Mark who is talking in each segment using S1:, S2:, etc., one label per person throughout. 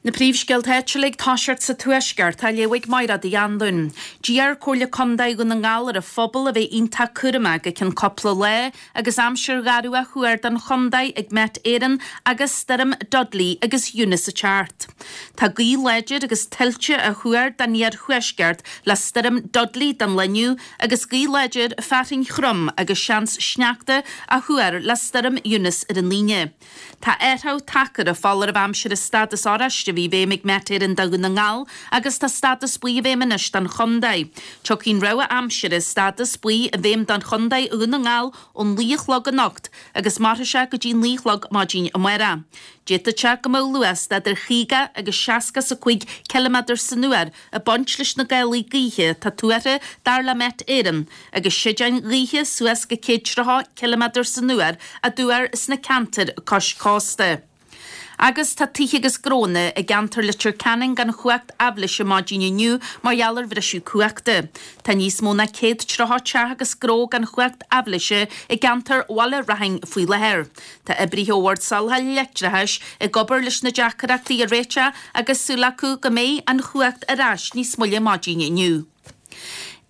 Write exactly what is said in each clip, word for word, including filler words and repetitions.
S1: Na príomhscéalta áitiúla ag toiseacht sa Tuaisceart á léamh ag Máire Uí Anluain. D'iarr Comhairle Contae Dhún na nGall ar an phobal a bheith iontach cúramach go ceann cúpla lá agus aimsir gharbh á thuar don chontae ag Met Éireann agus stoirm Dudley agus Eunice ag teacht. Tá gaoth láidir agus tuilte á thuar don iarthuaisceart le stoirm Dudley don lá inniu agus gaoth láidir fearthainn throm agus seans sneachta á thuar le stoirm Eunice ar an Aoine. Tá athrú tagtha ar an foláireamh aimsire stádas oráiste a bhí i bhfeidhm ag Met Éireann do Dhún na nGall agus tá stádas buí i bhfeidhm anois don chontae. Tiocfaidh an rabhadh aimsire stádas buí i bhfeidhm don chontae Dhún na nGall ón naoi a chlog anocht agus mairfidh sé go dtí naoi a chlog maidin amárach. D'fhéadfadh sé go mbeadh luas de idir chaoga agus seasca is a cúig ciliméadar san uair ag baint leis na gálaí gaoithe atá tuartha dar le Met Éireann agus séideáin ghaoithe suas go céad tríocha ciliméadar san uair á dtuar sna ceantair cois cósta. Agus tá tithe agus gnónna i gceantar Leitir Ceanainn gan chumhacht aibhléise maidin inniu mar gheall ar bhriseadh cumhachta. Tá níos mó ná céad tríocha teach agus gnó gan chumhacht aibhléise i gceantar Bhaile Raithin faoi láthair. Tá oibrithe ó Bhord Soláthair Leictreachais ag obair leis na deacrachtaí a réiteach agus súil acu go mbeidh an chumhacht ar ais níos moille maidin inniu.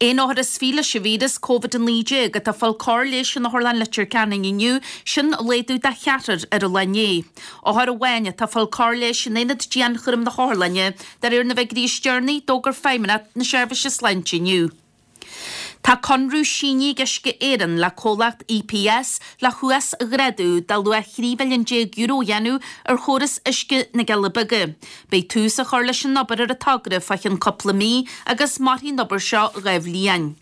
S1: Aon othar is fiche leis an víreas Covid a naoi déag atá ag fáil cóir leighis in Otharlann Leitir Ceanainn inniu, sin laghdú de cheathrar ar an lá inné. Othar amháin atá ag fáil cóir leighis in aonad dianchúraim na hOtharlainne, de réir na bhfigiúirí is deireanaí, d'fhógair Feidhmeannacht na Seirbhíse Sláinte inniu. Tá conradh sínithe ag Uisce Éireann le comhlacht EPS le huasghrádú de luach thrí mhilliún déag euro a dhéanamh ar chóras uisce na gCealla Beaga. Beidh tús á chur leis an obair ar an togra fá cheann cúpla mí agus mairfidh an obair seo dhá bhliain.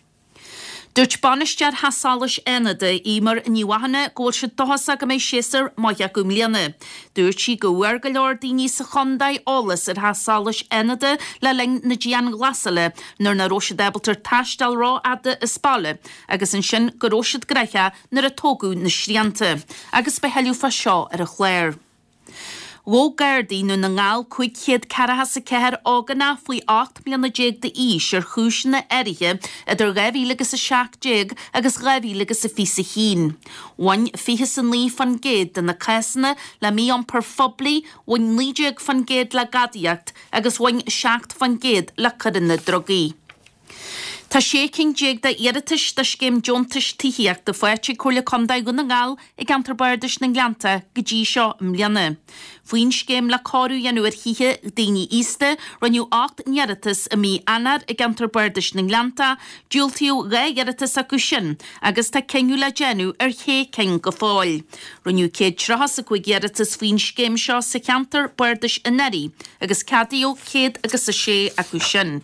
S1: Dúirt bainisteoir Theach Solais Fhánada, Eimear Ní Mhathúna, go bhfuil siad dóchasach go mbeidh séasúr maith acu i mbliana. Dúirt sí go bhfuair go leor daoine sa chontae eolas ar Theach Solais Fhánada le linn na dianghlasála nuair nach raibh siad ábalta taisteal rófhada as baile agus ansin go raibh siad gnóthach nuair a tógadh na srianta. Agus beidh tuilleadh fá seo ar an chlár. Ghabh Gardaí i nDún na nGall cúig chéad ceathracha is a ceathair ógánach faoi ocht mbliana déag d'aois ar chúiseanna áirithe idir dhá mhíle agus a seacht déag agus dhá mhíle agus a fiche a haon. Bhain fiche is a naoi faoin gcéad de na cásanna le mí-iompar phoiblí, bhain naoi déag faoin gcéad le gadaíocht agus bhain seacht faoin gcéad le coireanna drugaí. Tá sé cinn déag d'iarratais do scéim deontais tithíochta faighte ag Comhairle Contae Dhún na nGall i gceantar Bardais na nGleannta go dtí seo i mbliana. Faoin scéim le cóiriú a dhéanamh ar thithe daoine aosta, rinneadh ocht n-iarratas i mí Eanáir i gceantar Bardais na nGleannta, diúltaíodh dhá iarratas acu sin agus tá cinneadh le déanamh ar shé cinn go fóill. Rinneadh céad tríocha is a cúig iarratas faoin scéim seo sa cheantar Bardais anuraidh agus ceadaíodh céad agus a sé acu sin.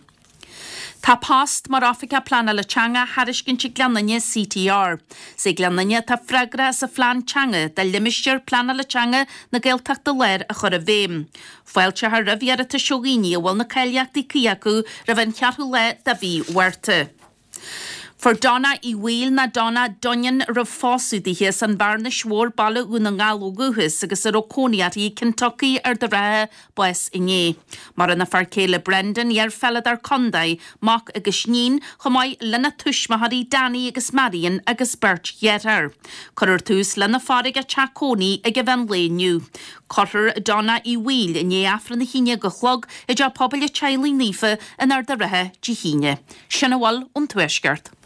S1: Tá post mar Oifigeach Pleanála Teanga á thairiscint ag Gleann Fhinne CTR. Is é Gleann Fhinne atá freagrach as an phlean teanga do limistéar pleanála teanga na Gaeltachta Láir a chur i bhfeidhm. Fáilteofar roimh iarratais ó dhaoine a bhfuil na cáilíochtaí cuí acu roimh an cheathrú lá de mhí Mhárta. Fuair Donna Uí Bhaoill nó Donna Dunnion a raibh pósadh dithe as an Bhearnais Mhór Baile Dhún na nGall ó dhúchas agus a raibh cónaí uirthi i Kentucky, Ard an Rátha, bás inné. Maireann a fear céile Brendan, iar-pheileadóir contae, mac agus iníon, chomh maith lena tuismitheoirí Danny agus Marion agus beirt dheartháir. Cuirfear tús lena faire ag a teach cónaí ag an mheán lae inniu. Cuirfear Donna Uí Bhaoill i ndiaidh Aifreann a haon déag a chlog i dTeach Pobail an Teaghlaigh Naofa in Ard an Rátha Dé hAoine. Sin a bhfuil ón Tuaisceart.